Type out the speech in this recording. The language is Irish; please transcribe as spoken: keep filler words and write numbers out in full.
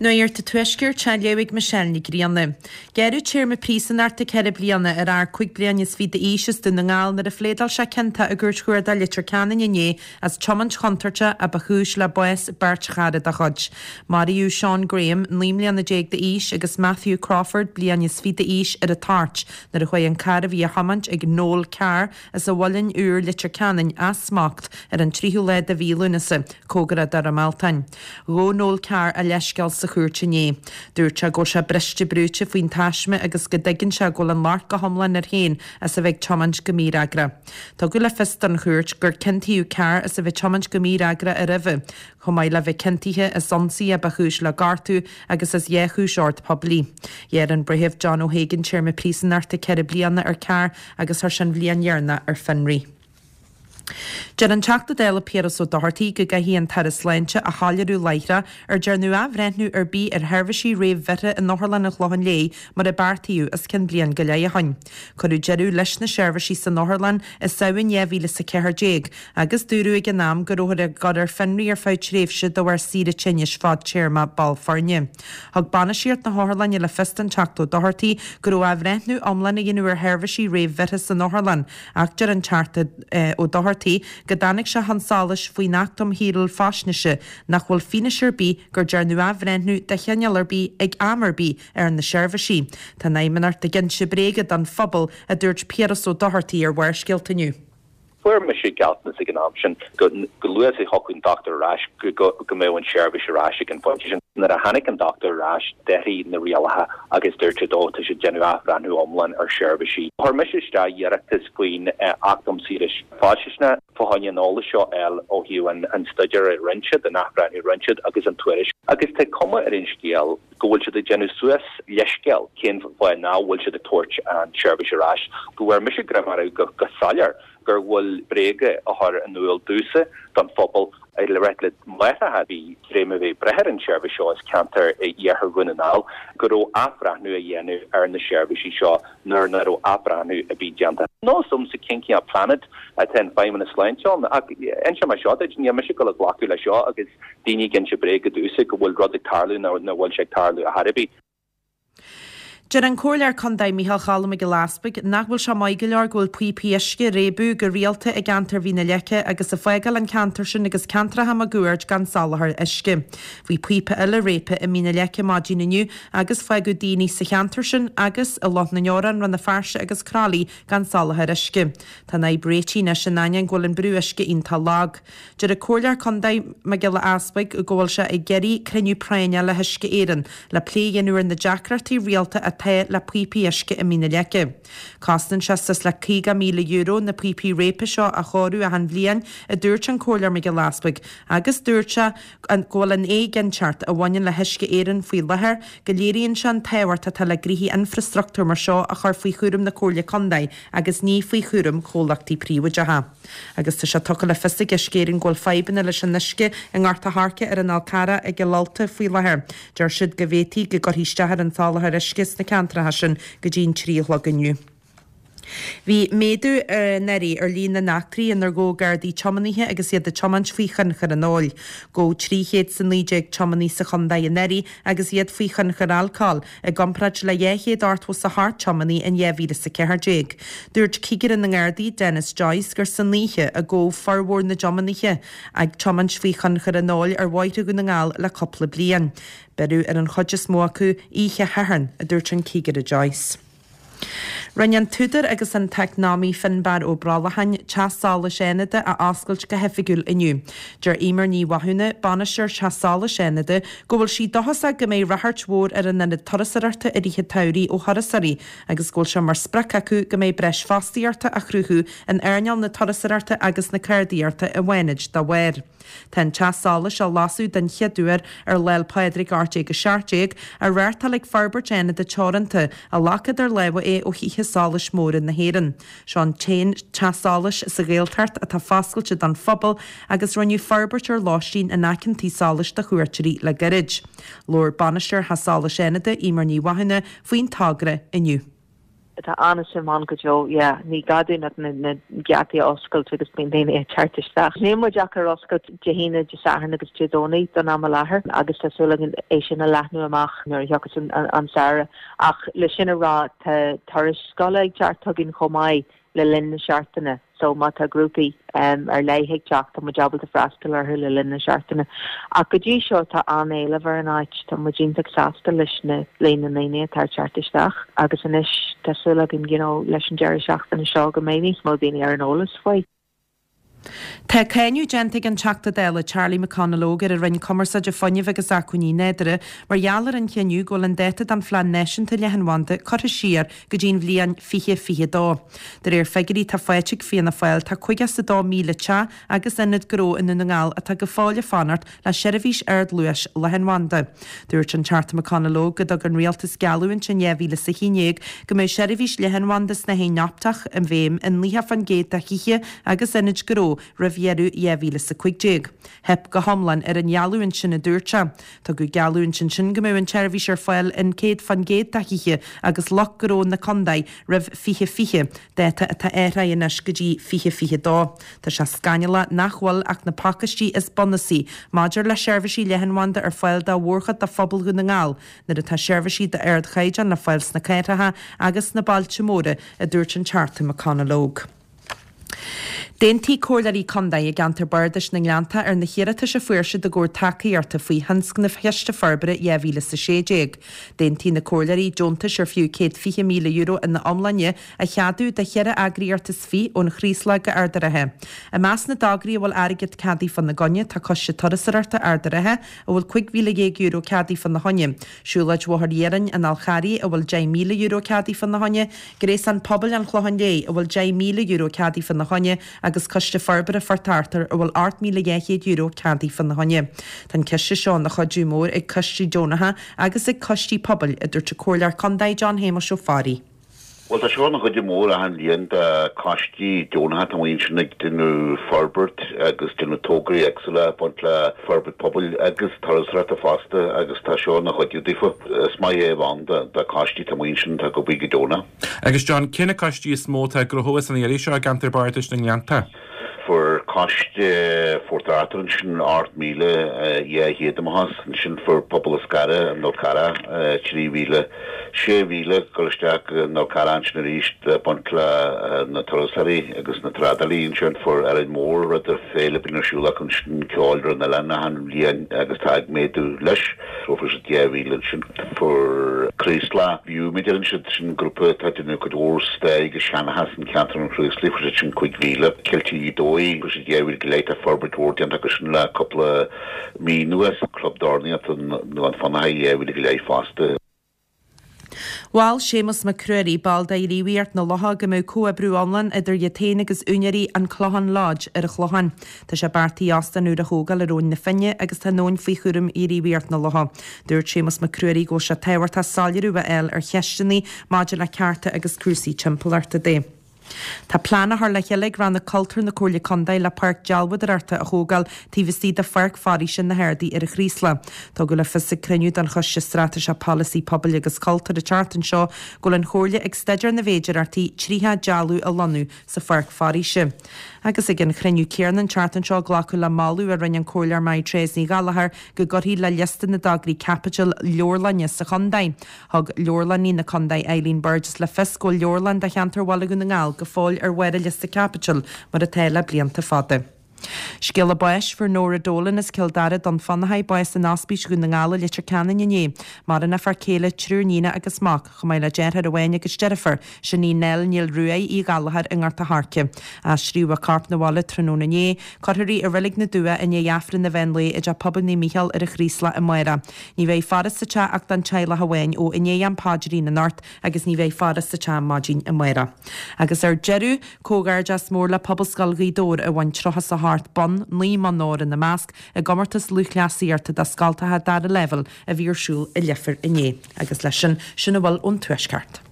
Nuacht an Tuaiscirt á léamh ag Michelle Ní Ghrianna. Gearradh téarma príosúnachta ceithre bliana ar fhear cúig bliana is fiche d'aois as Dún na nGall nuair a phléadáil sé ciontach i gCúirt Chuarda Leitir Ceanainn inné as tiomáint chontúirteach a ba chúis le bás beirt chara dá chuid. Maraíodh Sean Graham, naoi mbliana déag d'aois agus Matthew Crawford, bliain is fiche d'aois ar an toirt nuair a chuaigh an carr a bhí á thiomáint ag Noel Carr as an Mhuileann Úr Leitir Ceanainn as smacht ar an tríú lá de mhí Lúnasa, cóngarach do Dhroim Altáin. Ghabh Noel Carr a leithscéal sa chúirt inné. Dúirt sé go bhfuil sé briste brúite faoin taisme agus go dtuigeann sé go bhfuil an locht go hiomlán air féin as a bheith ag tiomáint go mífhreagrach. Tugadh le fios don chúirt gur ciontaíodh Carr as a bheith tiomáint go mífhreagrach roimhe, chomh maith le bheith ciontaithe as ionsaí a ba chúis le gortú agus as dhá chúis ord poiblí. Ghearr an Breitheamh John O'Hagan téarma príosúnachta ceithre bliana ar Carr agus chuir sé an bhliain dheireanach ar fionraí. Deir an Teachta Dála Piaras Ó Dochartaigh go gcaithfidh an tAire Sláinte a shoiléiriú láithreach ar dearnadh athbhreithniú ar bith ar sheirbhísí réamhbhreithe in Otharlann an Chlocháin Léith mar a beartaíodh os cionn bliain go leith ó shin. Cuireadh deireadh leis na seirbhísí san otharlann i Samhain dhá mhíle is a ceathair déag agus dúradh ag an am go rabhthar á gcur ar fionraí ar feadh tréimhse de bharr saoire tinnis fadtéarma ball foirne. Thug bainistíocht na hotharlainne le fios don Teachta Ó Dochartaigh go raibh athbhreithniú iomlán á dhéanamh ar sheirbhísí réamhbhreithe san otharlann ach deir an Teachta Ó Dochartaigh go dtáinig sé chun solais faoin Acht um Shaoráil Faisnéise nach bhfuil fianaise ar bith gur dearnadh athbhreithniú de chineál ar bith ag am ar bith ar na seirbhísí. Tá an Fheidhmeannacht ag inse bréaga don phobal a dúirt Piaras Ó Dochartaigh ar Bharrscéalta inniu. Fuair mise gealltanas ag an am sin go go luath is a thiocfadh an dochtúir ar ais go go go mbeadh an seirbhís ar ais ag an phointe sin. Nuair a tháinig an dochtúir ar ais d'athraigh na rialacha agus dúirt siad ó tá siad ag déanamh athbhreithniú iomlán ar sheirbhísí. Chuir mise isteach iarratas faoin Acht um Shaoráil Faisnéise fá choinne an eolas seo a fháil ó thaobh an an staidéar a rinne siad, an athbhreithniú a rinne siad agus an tuairisc. Agus tá cuma ar an scéal go bhfuil siad ag déanamh suas leithscéal cén fáth nach bhfuil siad ag tabhairt an tseirbhís ar ais, go bhfuair mise greim orthu go go soiléir gur bhfuil bréaga á chur in iúl domhsa don phobal le rá le máithreacha a bhí tar éis a bheith ag brath ar an tseirbhís seo as ceantar iarthar Dhún na nGall go raibh athbhreithniú á dhéanamh ar na seirbhísí seo nuair nach raibh athbhreithniú ar bith déanta. Níl a fhios a'msa cén cineál planet atá an Feidhmeannas Sláinte ann ach inseoidh mé seo duit níl mise ag dul a ghlacadh leis seo agus daoine ag inse bréaga domhsa go bhfuil rud ag tarlú nach bhfuil sé ag tarlú ar chor ar bith. Deir an Comhairleoir Contae Micheál Cholm Mac Giolla Easbuig nach bhfuil sé maith go leor go bhfuil píopaí uisce ag réabadh go rialta i gceantar Mhín na Leice agus ag fágáil an ceantar sin agus ceantracha máguaird gan soláthar uisce. Bhí píopa eile réabtha i Mín na Leice maidin inniu agus fágadh daoine sa cheantar sin agus i Loch na nDeorán, Rann na Feirste agus Croithlí gan soláthar uisce. Tá an fhadhb réitithe anois in ainneoin go bhfuil an brú uisce iontach lag. Deir an Comhairleoir Contae Mac Giolla Easbuig go bhfuil sé ag iarraidh cruinniú práinne le hUisce Éireann le plé a dhéanamh ar na deacrachtaí rialta atá le píopaí uisce i Mín na Leice. Cosnaíonn sé suas le caoga míle euro na píopaí réabtha seo a chóiriú achan bhliain, a dúirt an Comhairleoir Mac Giolla Easbuig, agus dúirt sé go bhfuil an éiginnteacht a bhaineann le hUisce Éireann faoi láthair go léiríonn sé an tábhacht atá le gnoithí infreastruchtúir mar seo a chur faoi chúram na Comhairle Contae agus ní faoi chúram chomhlachtaí príobháideacha. Agus tá sé tugtha le fios ag Uisce Éireann go bhfuil fadhbanna leis an uisce i nGort a' Choirce ar an Fhál Carrach i gCill Ulta faoi láthair. Deir siad go bhféadfaí go gcuirfí isteach ar an soláthar uisce sna ceantracha sin go dtí an trí a chlog inniu. Bhí méadú anuraidh ar líon na n-eachtraí inar gabhadh Gardaí tiománaithe agus iad ag tiomáint faoi thionchar an óil. Gabhadh trí chéad is a naoi déag tiománaí sa chontae anuraidh agus iad faoi thionchar alcóil, i gcomparáid le dhá chéad ochtó is a hocht tiománaí in dhá mhíle is a ceathair déag. Dúirt Cigire na nGardaí, Denis Joyce, gur san oíche a gabhadh formhór na dtiománaithe ag tiomáint faoi thionchar an óil ar bhóithre Dhún na nGall le cúpla bliain. Beireadh ar an chuid is mó acu oíche Shathairn, a dúirt an Cigire Joyce. Rinne an t-údar agus an t-eacnamaí Finbarr Ó Brollacháin Teach Solais Fhánada a oscailt go hoifigiúil inniu. Deir Eimear Ní Mhathúna, bainisteoir Teach Solais Fhánada, go bhfuil sí dóchasach go mbeidh ráchairt mhór ar an ionad turasóireachta i rith an tsamhraidh ó thurasóirí agus go bhfuil sé mar sprioc acu go mbeidh breis fostaíochta á chruthú in earnáil na turasóireachta agus na ceardaíochta i bhFánaid dá bharr. Tá an teach solais á lasadh den chéad uair ar Lá 'le Pádraig ocht déag a seacht déag, á reáchtáil ag Forbairt Fhánada Teoranta, a ghlac idir lámha é ó Thithe Solais Móra na hÉireann. Seo an t-aon teach solais sa Ghaeltacht atá foscailte don phobal agus rinneadh forbairt ar lóistín in aice an tí solais do chuairteoirí le gairid. Labhair Bainisteoir Theach Solais Fhánada, Eimear Ní Mhathúna, faoin togra inniu. Tá an-suim ann go deo, yeah, ní gá dúinn ach na, na geataí a oscailt agus bíonn daoine ag teacht isteach. Níl muid ach ar oscailt Dé hAoine, Dé Sathairn agus Dé Domhnaigh don am i láthair agus tá súil againn é sin a leathnú amach nuair a thiocfas an, an, an samhradh. Ach le sin a rá tá turais scoile ag teacht chugainn chomh maith le linn na seachtaine. So má tá grúpaí um, ar leith ag teacht tá muid ábalta freastal orthu le linn na seachtaine. Ach go dtí seo tá an-éileamh ar an áit tá muid iontach sásta leis na líon na ndaoine atá ag teacht isteach agus anois tá súil againn you know, leis an deireadh seachtaine seo go mbeidh níos mó daoine ar an eolas faoi. Tá cáineadh déanta ag an Teachta Dála Charlie McConalogue ar an Roinn Cumarsáide Fuinnimh agus Acmhainní Nádúrtha mar gheall ar an chinneadh go bhfuil an dáta don Phlean Náisiúnta Leathanbhanda curtha siar go dtí an bhliain fiche fiche dó. De réir figiúirí atá faighte ag Fianna Fáil tá caoga is a dó míle teach agus ionad gnó i nDún na nGall atá go fóill ag fanacht le seirbhís ardluais leathanbhanda. Dúirt an Teachta McConalogue go dtug an rialtas geallúint in dhá mhíle is a haon déag go mbeadh seirbhís leathanbhanda snáithín optach i bhfeidhm i nócha faoin gcéad de thithe agus ionaid gnó roimh dheireadh dhá mhíle is a cúig déag. Theip go hiomlán ar an gheallúint sin a dúirt sé. Tugadh geallúint ansin go mbeadh an tseirbhís ar fáil in céad faoin gcéad de thithe agus lucht gnó na contae roimh fiche fiche, dáta atá athraithe anois go dtí fiche fiche dó. Tá sé scannalach nach bhfuil ach na pacáistí is bunúsaí maidir le seirbhísí leathanbhanda ar fáil do mhórchuid de phobal Dhún na nGall, nuair atá seirbhísí d'ardchaighdeán le fáil sna cathracha agus sna bailte móra, a dúirt an Teachta McConalogue. D'aontaigh comhairleoirí contae i gceantar Bardais na nGleannta ar na hiarratais a fuair siad i gcomhair tacaíochta faoi thionscnamh Chiste Forbartha dhá mhíle is a sé déag. D'aontaigh na comhairleoirí deontais ar fiú céad fiche míle euro ina iomláine a cheadú do cheithre eagraíocht is fiche ón Chraoslach go Ard an Rátha. I measc na dtograí a bhfuil airgead ceadaithe fána gcoinne tá Coiste Turasóireachta Ard an Rátha a bhfuil cúig mhíle dhéag euro ceadaithe fána choinne, Siúlóid Bhóthar Iarainn an Fhál Charraigh a bhfuil deich míle euro ceadaithe fána choinne, Gréasán Pobail an Chlocháin Léith a bhfuil deich míle euro ceadaithe fána choinne agus Coiste Forbartha Phort Arthur a bhfuil ocht míle dhá chéad euro ceadaithe fána choinne. Tá an ciste seo ina chuidiú mór ag coistí deonacha agus ag coistí pobail, a dúirt an Comhairleoir Contae John Shéamuis Ó Fearraigh. Bhuel, tá seo ina chuidiú mór achan bhliain do choistí deonacha atá amuigh ansin ag déanamh forbairt agus déanamh tograí éagsúla ag baint le forbairt pobail agus turasóireachta fosta agus tá seo ina chuidiú daofa. Is maith é a bheith ann do choistí atá amuigh ansin atá ag obair go deonach. Agus John, cé na coistí is mó atá ag gnóthú as an iarraidh seo i gceantar Bardais na nGleannta? Fuair coiste Phort Arthur ansin ocht míle dhá chéad amach as, ansin fuair Pobal an Scarra an Fhál Carrach trí mhíle, sé mhíle ag dul isteach go an Fhál Carrach ansin arís ag baint le na turasóirí agus na trádálaí ansin. Fuair Árainn Mhór rud ar féile a bhíonn ar siúl acu ansin ceol ar an oileán achan bhliain agus tá ag méadú leis. So fuair siad dhá mhíle ansin. Fuair Craoslach View, mar a deireann siad, sin grúpa atá ag déanamh cuid mhór stair agus seanchas in ceantar an Chraoslaigh, fuair siad sin cúig mhíle. Ceiltigh Ghaoth Dobhair, fuair siad dhá mhíle go leith, tá forbairt mhór déanta acu sin le cúpla mí anuas. Club Dornaíochta an Fionnachaidh, dhá mhíle go leith fosta. Mhol Séamus Mac Ruairí, ball de Ghníomhaireacht na Locha, go mbeadh comhoibriú iomlán idir iad féin agus úinéirí an Clochán Lodge ar an Chlochán. Tá sé beartaithe óstán úr a thógáil ar Abhainn na Finne agus tá an abhainn faoi chúram Ghníomhaireacht na Locha. Dúirt Séamus Mac Ruairí go bhfuil sé tábhachtach soiléiriú a fháil ar cheisteanna maidir le cearta agus cúrsaí timpeallachta de. Tá plean á chur le chéile ag Rannóg Cultúir na Comhairle Contae le páirc dealbhádóireachta a thógáil taobh istigh de Pháirc Foraoise na hArdaí ar an Chraoslach. Tugadh le fios ag cruinniú den Choiste Straitéiseach Polasaí Pobail agus Cultúir an tseachtain seo go bhfuil an Chomhairle ag staidéar na bhféidearthachtaí tríocha dealbh a lonnú sa pháirc foraoise. Agus ag an chruinniú céanna an tseachtain seo glacadh le moladh a rinne an Comhairleoir Mairéad Ní Ghallchóir go gcuirfí le liosta na dtograí caipitil leabharlainne sa chontae. Thug Leabharlannaí na Contae Eileen Burgess le fios go bhfuil leabharlann do cheantar Bhaile Dhún na nGall go fóill ar bharr an liosta caipitil mar atá le blianta fada. Scéala báis, Fuair Nóra Dolan as Cill Dara Dún Fionnachaidh bás in Ospís Dhún na nGall i Leitir Ceanainn inné. Maireann a fear céile, triúr níonacha agus mac, chomh maith le deartháir amháin agus deirfiúr, sin í Nell Neil Ruaidh Uí Ghallchóir i nGort a' Choirce. Aistríodh a corp 'na bhaile tráthnóna inné. Cuirfear í i Reilig na Dumhcha i ndiaidh Aifreann an mheán lae i dTeach Pobail Naomh Mícheál ar an Chraoslach amárach. Ní bheidh faire sa teach ach don teaghlach amháin ó i ndiaidh am paidrín anocht agus ní bheidh faire sa teach maidin amárach. Agus ar deireadh, comhghairdeas mór le Pobalscoil Ghaoth Dobhair a bhain tríocha is a hocht bonn, naoi mbonn óir ina measc, i gcomórtas lúthchleasaíochta do scoltacha dara leibhéal a bhí ar siúl i Leifear inné. Agus leis sin, sin a bhfuil ón Tuaisceart.